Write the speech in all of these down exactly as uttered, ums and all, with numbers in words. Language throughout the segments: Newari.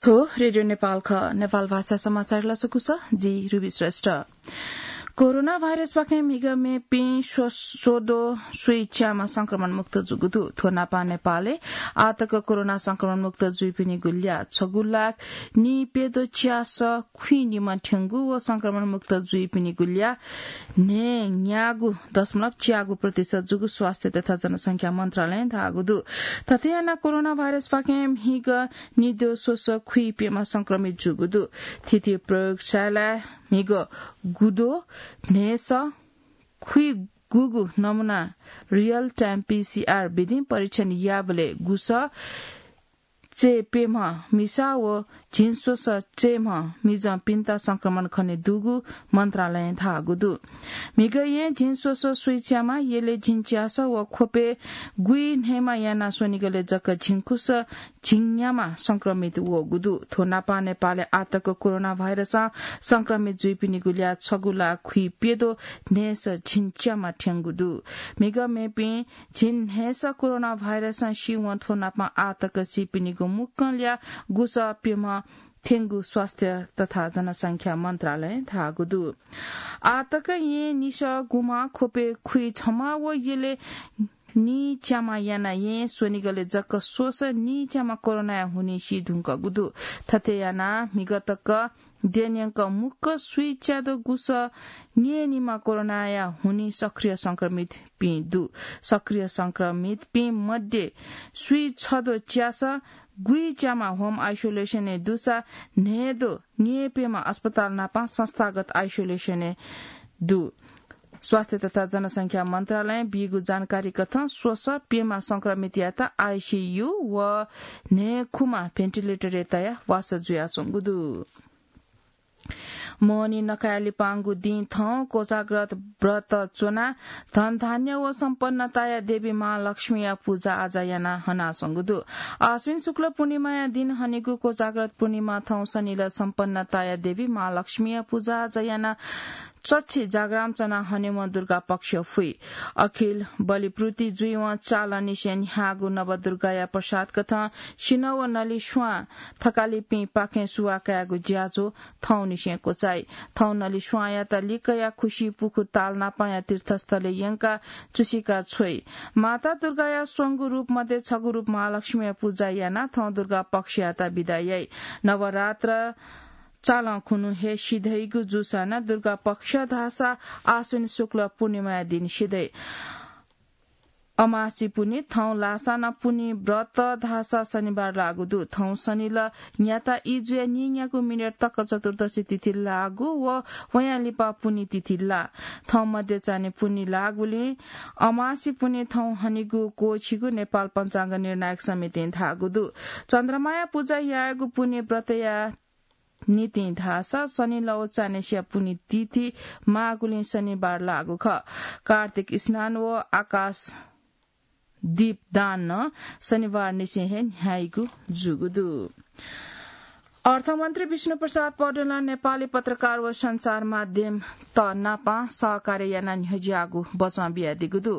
थ्व रेडियो नेपाल खः। नेपाल भाषा समाचार लसकुस, जि रुबी श्रेष्ठ। कोरोना भाइरसपाखें म्हिगः मेपिं स्व-, स्वदो स्वीच्यामा संक्रमण मुक्त जूगु दु। थ्व नापं नेपालय् आःतक कोरोना संक्रमण मुक्त जुइपिनिगु ल्याः छगू लाख नीप्यदो च्यास खुइनिम्ह थ्यंगु व संक्रमण मुक्त जुइपिनिगु ल्याः न्हय्‌न्यागू दशमलव च्यागू प्रतिशत जूगु स्वास्थ्य तथा जनसंख्या मन्त्रालयं धाःगु दु। थथे यानाः कोरोना भाइरसपाखें म्हिगः निद्यः स्वस खुइप्यम्ह संक्रमित जूगु दु। थीथी प्रयोगशालाय् म्हिगः गुद्वः न्हय्‌स खुइगूगु नमुना real time पीसीआर विधिं परीक्षण याःबलय् गुस चय्‌प्यम्ह मिसा व झिंस्वस चय्‌म्ह मिजंपिन्त संक्रमण खने दुगु मन्त्रालयं धाःगु दु। म्हिगः येँ झिंस्वस स्वीच्यामा यलय् झिंच्यास व ख्वपय् गुइन्हय्‌मा यानाः स्वनिगलय् जक झिंखुस झिंन्यामा संक्रमित वःगु दु। थ्व नापं नेपालय् आःतक कोरोना भाइरसं संक्रमित जुइपिनिगु ल्याः छगू लाख खुइप्यदो न्हय्‌स झिंच्यामा थ्यंगु दु। म्हिगः मेपिं झिंन्हय्‌स कोरोना भाइरसं सीवं थ्व नापं आःतक सीपिनिगु मुक्कं ल्याः गुस प्यम्ह थ्यंगु स्वास्थ्य तथा जनसंख्या मन्त्रालयं धाःगु दु। आःतक येँ निसः गुम्ह, ख्वपय् खुइछम्ह व यलय् नीच्यामा यानाः येँ स्वनिगलय् जक स्वस नीच्यामा कोरोनाया हुनिं सी धुंकूगु दु। थथे यानाः म्हिगः तक द्यः न्यंक मुक्कं स्वीच्यादँ गुस न्यय्‌निम्ह कोरोनाया हुनिं सक्रिय संक्रमितपिं दु। सक्रिय संक्रमितपिं मध्ये स्वीछद्वः च्यास गुइच्यामा home isolation-य् दुसा न्हय्‌द्वः न्यय्‌प्यम्ह अस्पताल नापं संस्थागत isolation-य् दु। स्वास्थ्य तथा जनसंख्या मन्त्रालयं बीगु जानकारी कथं स्वस प्यम्ह संक्रमितयात आईसीयू व न्हय्‌खुम्ह भेन्टिलेटरय् तयाः वासः जुयाच्वंगु दु। मोहनी नकाया लिपांगु दिं थौं कोजाग्रत व्रत च्वनाः धनधान्य व सम्पन्नताया देवी महालक्ष्मीया पुजा आजा यानाः हनाच्वंगु दु। आश्विन शुक्ल पूर्णिमाया दिं हनेगु कोजाग्रत पूर्णिमा थौं सनिल सम्पन्नताया देवी महालक्ष्मीया पुजा आजा यानाः चच्छि जाग्राम च्वनाः हनेवं दुर्गा पक्ष फुइ। अखिल बलिपूर्ति जुइवं चालंनिसें न्ह्याःगु नवदुर्गाया प्रसाद कथं सिन्हः व नलिस्वां थकालिपिंपाखें सुवाः कायेगु ज्याझ्वः थौंनिसें क्वचाइ। थौं नलिस्वांयात लिक्कया खुसि पुखु ताल नापांया तीर्थस्थलय् यंकाः चुसिका छ्वइ। माता दुर्गाया स्वंगू रूप मध्ये छगू रूप महालक्ष्मीया पुजा यानाः थौं दुर्गा पक्षयात बिदा याइ। नवरात्र चालं खुन्हु हे सिधइगु जूसां नं दुर्गा पक्ष धाःसा आश्विन शुक्ल पूर्णिमाया दिं सिधइ। अमासि पुन्हि थौं लाःसां नं पुन्हि व्रत धाःसा शनिबार लाःगु दु। थौं सनिल न्याता ई जुया नीन्यागू मिनेट तक चतुर्दशी तिथि लाःगु व वयां लिपा पुन्हि तिथि लाः। थौं मध्य चान्हय् पुन्हि लाःगुलिं अमासि पुन्हि थौं हनेगु क्वःछिगु नेपाल पञ्चाङ्ग निर्णायक समितिं धाःगु दु। चन्द्रमाया पुजा यायेगु पुन्हि व्रतया निंतिं धाःसा शनि लव चान्हय्‌सिया पुन्हि तिथि माःगुलिं शनिबार लाःगु खः। कार्तिक स्नान व आकाश दीप दान नं शनिबार निसें हे न्ह्याइगु जूगु दु। अर्थमन्त्री विष्णु प्रसाद पौडेलं नेपाली पत्रकार व सञ्चार माध्यमत नापं सहकार्य यानाः न्ह्यज्याःगु बचं बियादीगु दु।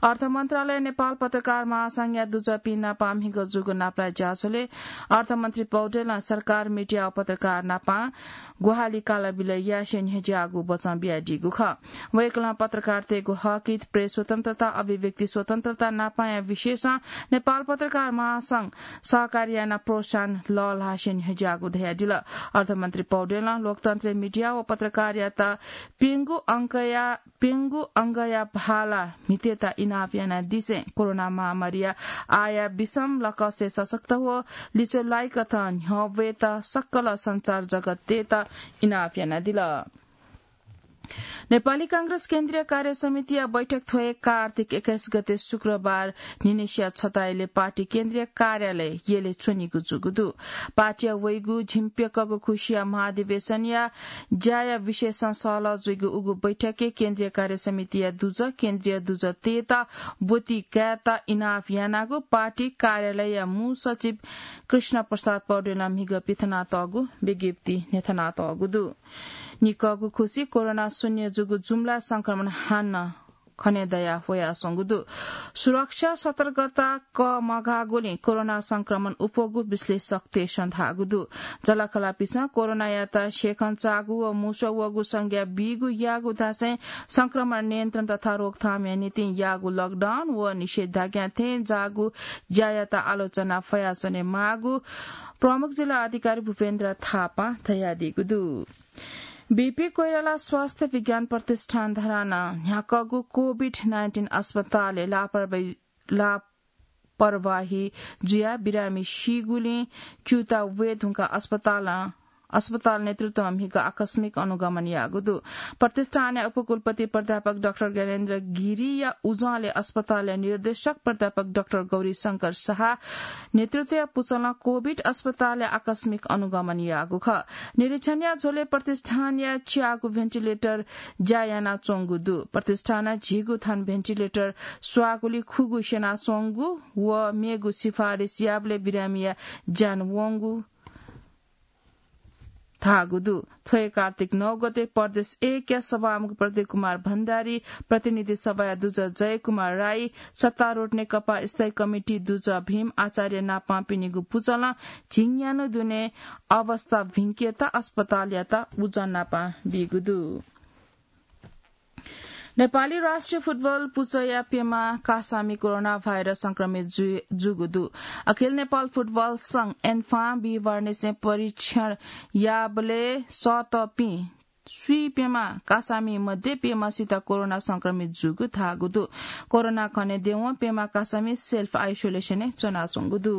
अर्थ मन्त्रालय नेपाल पत्रकार महासंघया दुजःपिं नापं म्हिगः जूगु नापलाये ज्याझ्वलय् अर्थमन्त्री पौडेलं सरकार, मिडिया व पत्रकार नापं ग्वाहालि कालाबिल यासें न्ह्यज्याःगु बचं बियादीगु खः। वय्‌कलं पत्रकारतय्‌गु हकहित, प्रेस स्वतन्त्रता, अभिव्यक्ति स्वतन्त्रता नापांया विषयसं नेपाल पत्रकार महासंघ सहकार्य यानाः प्रोत्साहन लःल्हासें न्ह्यज्याःगु धयादिल। अर्थमन्त्री पौडेलं लोकतन्त्रय् मिडिया व पत्रकारयात प्यंगू अंकया, प्यंगू अंगया भाला म्हितेत इनाप यानादिसें कोरोना महामारीया आःया विषम लकसय् सशक्त व लिच्वलाइकथं न्ह्यब्वयेत सकल सञ्चार जगततय्‌त इनाप यानादिल। नेपाली कांग्रेस केन्द्रीय कार्य समितिया बैठक थ्व हे कार्तिक एक्काइस गते शुक्रबार न्हिनसिया छता यलय् पार्टी केन्द्रीय कार्यालय यलय् च्वनीगु जूगु दु। पार्टीया वइगु झिंप्यक्कःगु खुसिया महाधिवेशनया ज्याया विषयसं सहलह जुइगु उगु बैठकय् केन्द्रीय कार्य समितिया दुजः, केन्द्रीय दुजःतय्‌त ब्वति कायेत इनाप यानागु पार्टी कार्यालयया मू सचिव कृष्ण प्रसाद पौडेलं म्हिगः पिथनातःगु विज्ञप्ति न्ह्यथनातःगु दु। निकःगु खुसि कोरोना शून्य जूगु जुम्ला संक्रमण हानं खने दया ह्वयाच्वंगु दु। सुरक्षा सतर्कता कमघाःगुलिं कोरोना संक्रमण उप्वःगु विश्लेषकतय्सं धाःगु दु। जःलाखःलापिसं कोरोनायात स्येखंचाःगु व मुसः वःगु संज्ञा बीगु याःगु धासें संक्रमण नियन्त्रण तथा रोकथामया निंतिं याःगु लकडाउन व निषेधाज्ञा थें जाःगु ज्यायात आलोचना फयाच्वने माःगु प्रमुख जिल्ला अधिकारी भूपेन्द्र थापां धयादीगु दु। बीपी कोइराला स्वास्थ्य विज्ञान प्रतिष्ठान धरानं न्ह्याकःगु कोभिड नाइन्टिन अस्पतालय् लापरवाही, लापरवाही जुयाः बिरामी सीगुलिं च्यूता वये धुंकाः अस्पतालं, अस्पताल नेतृत्वं म्हिगः आकस्मिक अनुगमन याःगु दु। प्रतिष्ठानया उपकुलपति प्राध्यापक डाक्टर ज्ञानेन्द्र गिरीया उजंलय् अस्पतालया निर्देशक प्राध्यापक डाक्टर गौरी शंकर शाह नेतृत्वया पुचलं कोभिड अस्पतालया आकस्मिक अनुगमन याःगु खः। निरीक्षणया झ्वलय् प्रतिष्ठानया च्यागू भेन्टिलेटर ज्या यानाच्वंगु दु। प्रतिष्ठानं झीगू थान भेन्टिलेटर स्वाःगुलिं खुगू स्यनाच्वंगु व मेगु सिफारिस याःबलय् बिरामीया ज्यान वंगु धाःगु दु। थ्व हे कार्तिक नौ गते प्रदेश एकया सभामुख प्रदीप कुमार भण्डारी, प्रतिनिधि सभाया दुजः जय कुमार राई, सत्तारूढ नेकपा स्थायी कमिटी दुजः भीम आचार्य नापं पिनिगु पुचलं झिंन्यान्हु दुने अवस्था भिंकेत अस्पतालयात उजं नापं बीगु दु। नेपाली राष्ट्रिय फुटबल पुचःया प्यम्ह कासामि कोरोना भाइरस संक्रमित जु-, जूगु दु। अखिल नेपाल फुटबल संघ, एन्फां, बिहिबारनिसें परीक्षण याःबलय् सःतःपिं स्वीप्यम्ह कासामि मध्ये प्यम्हसित कोरोना संक्रमित जूगु धाःगु दु। कोरोना खनेदयेवं प्यम्ह कासामि सेल्फ आइसोलेसनय् च्वनाच्वंगु दु।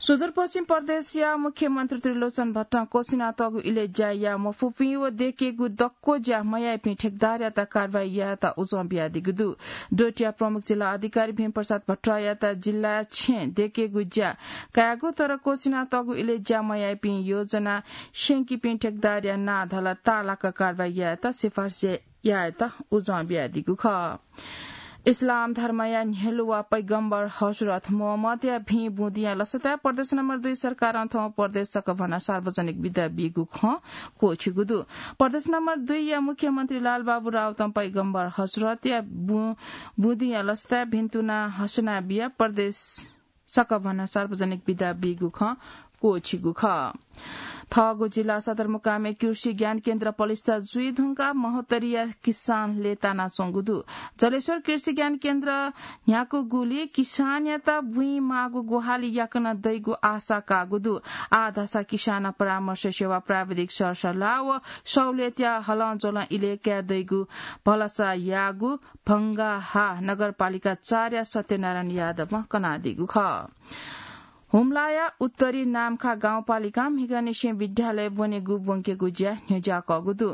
सुदूरपश्चिम प्रदेशया मुख्यमन्त्री त्रिलोचन भट्टं क्वसिनातःगु इलय् ज्या याये मफुपिं व देकेगु दक्व ज्या मयाइपिं ठेकदारयात कारवाही यायेत उजं बियादीगु दु। डोटीया प्रमुख जिल्ला अधिकारी भीमप्रसाद भट्टराईयात जिल्लाय् छेँ देकेगु ज्या कायेगु तर क्वसिनातःगु इलय् ज्या मयाइपिं योजना स्यंकीपिं ठेकदारया नां धला ताःलाक कारवाही यायेत सिफारिस यायेत उजं बियादीगु खः। इस्लाम धर्मया न्ह्यलुवा पैगम्बर हजरत मोहम्मदया भिं बुँदिया लसताय् प्रदेश नम्बर दुई सरकारं थौं प्रदेश सकभनं सार्वजनिक बिदा बीगु खँ क्वःछिगु दु। प्रदेश नम्बर दुईया मुख्यमन्त्री लालबाबु राउतं पैगम्बर हजरतया बु-, बुँदिया लसताय् भिन्तुना हसना बिया प्रदेश सकभनं सार्वजनिक बिदा बीगु खँ क्वःछिगु खः। थःगु जिल्ला सदरमुकामय् कृषि ज्ञान केन्द्र पलिस्था जुइ धुंकाः महोत्तरीया किसान लय्तानाच्वंगु दु। जलेश्वर कृषि ज्ञान केन्द्र न्ह्याकूगुलिं किसानयात बुँइ माःगु ग्वाहालि याकनं दइगु आशा काःगु दु। आः धाःसा किसान परामर्श सेवा प्राविधिक सरसल्लाह व सहुलियतया हलंज्वलं इलय् काये दइगु भलसा याःगु भंगाहा नगरपालिका चारया सत्यनारायण यादवं कनादीगु खः। हुम्लाया उत्तरी नाम्खा गाउँपालिकां म्हिगःनिसें विद्यालय ब्वनेगु ब्वंकेगु ज्या न्ह्यज्याकःगु दु।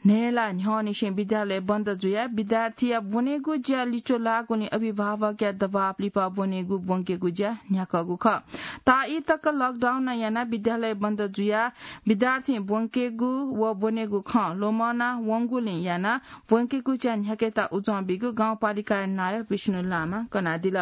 न्हय्ला न्ह्यःनिसें विद्यालय बन्द जुयाः विद्यार्थीया ब्वनेगु ज्या लिच्वः लाःगुलिं अभिभावकया दबाब लिपा ब्वनेगु ब्वंकेगु ज्या न्ह्याकःगु खः। ताःई तक लकडाउन यानाः विद्यालय बन्द जुयाः विद्यार्थी ब्वंकेगु व ब्वनेगु खँ ल्वःमना वंगुलिं यानाः ब्वंकेगु ज्या न्ह्याकेत उजं बीगु गाउँपालिकाया नायः विष्णु लामां कनादिल।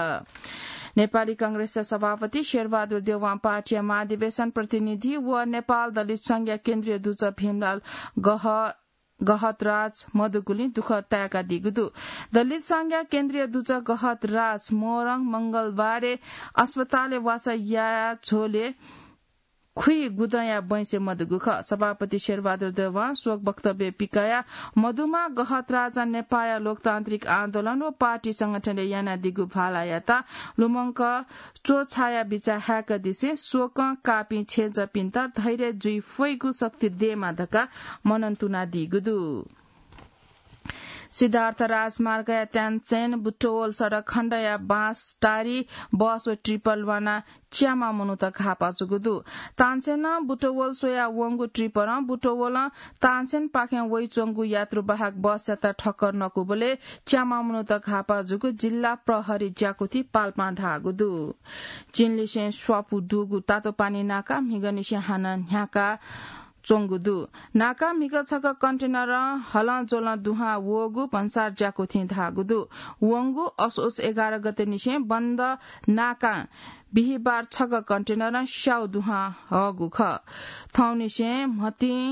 नेपाली कांग्रेसया सभापति शेरबहादुर देउवां पार्टीया महाधिवेशन प्रतिनिधि व नेपाल दलित संघया केन्द्रीय दुजः भीमलाल गह-, गहतराज मदुगुलिं दुःख ताय्कादीगु दु। दलित संघया केन्द्रीय दुजः गहतराज मोरङ मंगलबारे अस्पतालय् वासः याया झ्वलय् खुइ गुदँया बैंसे मदुगु खः। सभापति शेरबहादुर देउवां शोक वक्तव्य पिकयाः मदुम्ह गहतराजं नेपाःया लोकतान्त्रिक आन्दोलन व पार्टी संगठनय् यानादीगु भालायात लुमंक च्वछाया बिचाः हाय्कादिसें शोकं काःपिं छेँजःपिन्त धैर्य जुइ फइगु शक्ति देमा धकाः मनंतुनादीगु दु। सिद्धार्थ राजमार्गया त्याञ्चेन बुटवल सडक खण्डया बाँसटारी बस व ट्रिपर ल्वानाः च्याम्ह मनूत घाःपा जूगु दु। ताञ्चेनं बुटवल स्वया वंगु ट्रिपरं बुटवलं ताञ्चेनपाखें वइच्वंगु यात्रुवाहक बसयात ठक्कर नकूबलय् च्याम्ह मनूत घाःपा जूगु जिल्ला प्रहरी ज्याकुथि पाल्पां धाःगु दु। चीनलिसें स्वापू दुगु तातोपानी नाका म्हिगःनिसें हानं न्ह्याका च्वंगु दु। नाका म्हिगः छगः कन्टेनरं हलंज्वलं दुहां वःगु भन्सार ज्याकुथिं धाःगु दु। वंगु असोज एघार गतेनिसें बन्द नाकां बिहिबार छगः कन्टेनरं स्याउ दुहां हःगु खः। थौंनिसें म्हतिं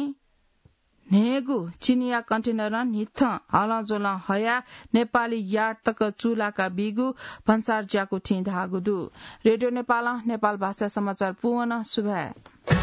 न्हय्गू चिनिया कन्टेनरं न्हिथं हलंज्वलं हयाः नेपाली यार्ड तक चूलाका बीगु भन्सार ज्याकुथिं धाःगु दु। रेडियो नेपालं नेपाल भाषा समाचार पूवं सुभाय्।